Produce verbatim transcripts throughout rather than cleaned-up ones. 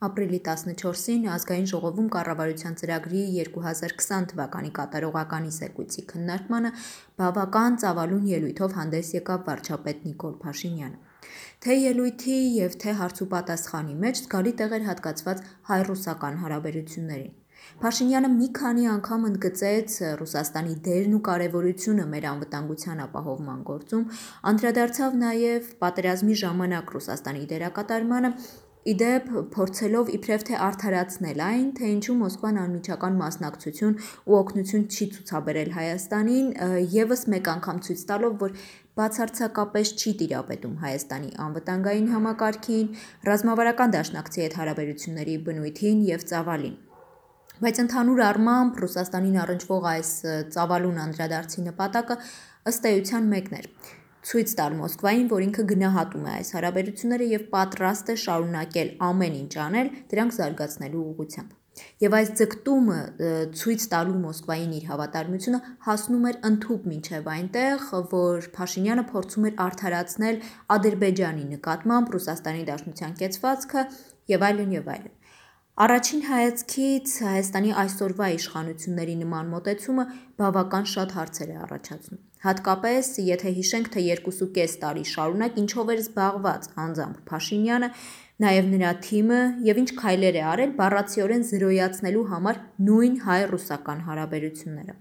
Ապրիլի տասնչորսին ազգային ժողովում կառավարության ծրագրի երկու հազար քսան թվականի կատարողականի զեկույցի քննարկմանը բավական ծավալուն ելույթով հանդես եկավ վարչապետ Նիկոլ Փաշինյանը։ Թե ելույթի և թե հարցուպատասխանի մեջ զգալի տեղ էր հատկացված հայ-ռուսական հարաբերություններին։ Փաշինյանը մի քանի անգամ ընդգծեց Ռուսաստանի դերն ու կարևորությունը մեր անվտանգության ապահովման գործում, անդրադարձավ նաև պատերազմի ժամանակ Ռուսաստանի դերակատարմանը, իդեպ փորձելով իբրև թե արդարացնել այն, թե ինչու Մոսկվան անմիջական մասնակցություն ու օգնություն չի ցուցաբերել Հայաստանին, ևս մեկ անգամ ցույց տալով, որ բացարձակապես չի տիրապետում Հայաստանի անվտանգային համակարգին, ռազմավարական դաշնակցի հետ հարաբերությունների բնույթին և ծավալին։ Բայց ընդհանուր առմամբ Ռուսաստանին առնչվող այս ծավալուն անդրադարձի նպատակը ըստ էության մեկն էր՝ ցույց տալ Մոսկվային, որ ինքը գնահատում է այս հարաբերությունները և պատրաստ է շարունակել ամեն ինչ անել դրանք զարգացնելու ուղղությամբ։ Եվ այս ձգտումը ցույց տալու Մոսկվային իր հավատարմությունը հասնում էր ընդհուպ մինչև այնտեղ, որ Փաշինյանը փորձում էր արդարացնել Ադրբեջանի նկատմամբ Ռուսաստանի Դաշնության կեցվածքը և այլն, և այլն։ Առաջին հայացքից Հայաստանի այսօրվա իշխանությունների նման մոտեցումը բավական շատ հարցեր է առաջացնում։ Հատկապես, եթե հիշենք, թե երկուսուկես տարի շարունակ ինչով էր զբաղված անձամբ Փաշինյանը, նաև նրա թիմը և ինչ քայլեր է արել բառացիորեն զրոյացնելու համար նույն հայ-ռուսական հարաբերությունները։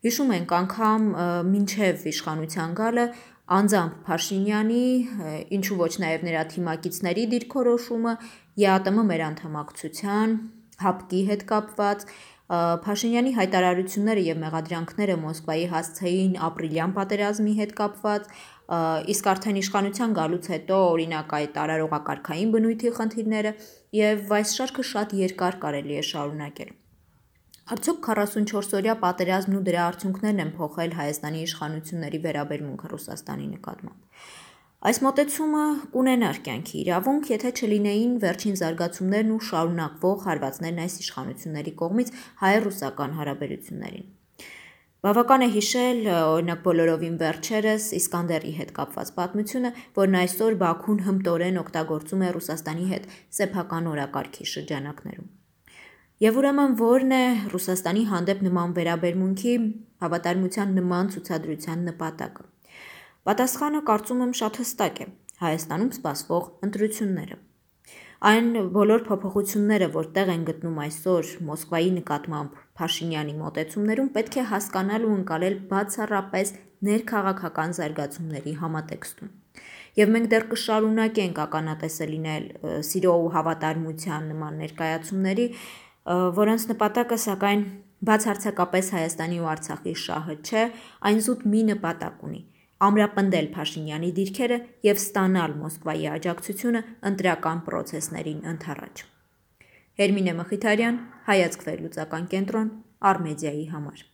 Հիշում ենք անգամ մինչև իշխանության գալը անձամբ Փաշինյանի, ինչու ոչ նաև նրա թիմակիցների դիրքորոշումը ԵԱՏՄ մեր անդամակցության, ՀԱՊԿ-ի հետ կապված, Փաշինյանի հայտարարությունները և մեղադրանքները Մոսկվայի հասցեին ապրիլյան պատերազմի հետ կապված, իսկ արդեն իշխանության գալուց հետո օրինակ այդ արարողակարգային բնույթի խնդիրները և այս շարքը շատ երկար կարելի է շարունակել։ Արդյոք քառասունչորսօրյա պատերազմն ու դրա արդյունքներն են փոխել Հայաստանի իշխանությունների վերաբերմունքը Ռուսաստանի նկատմամբ։ Այս մոտեցումը կունենար կյանքի իրավունք, եթե չլինեին վերջին զարգացումներն ու շարունակվող հարվածներն այս իշխանությունների կողմից հայ-ռուսական հարաբերություններին։ Բավական է հիշել, օրինակ բոլորովին վերջերս Իսկանդերի հետ կապված պատմությունը, որն այսօր Բաքուն հմտորեն օգտագործում է Ռուսաստանի հետ սեփական օրակարգի շրջանակներում։ Եվ ուրեմն ո՞րն է Ռուսաստանի հանդեպ նման վերաբերմունքի, հավատարմության նման ցուցադրության նպատակը։ Պատասխանը կարծում եմ շատ հստակ է՝ Հայաստանում սպասվող ընտրությունները։ Այն բոլոր փոփոխությունները, որ տեղ են գտնում այսօր Մոսկվայի նկատմամբ Փաշինյանի մոտեցումներում, պետք է հասկանալ ու ընկալել բացառապես ներքաղաքական զարգացումների համատեքստում։ Եվ մենք դեռ կշարունակենք ականատեսը լինել սիրո ու հավատարմության նման ներկայացումների, որոնց նպատակը, սակայն, բացարձակապես Հայաստանի ու Արցախի շահը չէ, այն զուտ մի նպատակ ունի՝ ամրապնդել Փաշինյանի դիրքերը և ստանալ Մոսկվայի աջակցությունը ընտրական պրոցեսներին ընդառաջ։ Հերմինե Մխիթարյան, Հայացք վերլուծական կենտրոն, Առ Մեդիայի համար։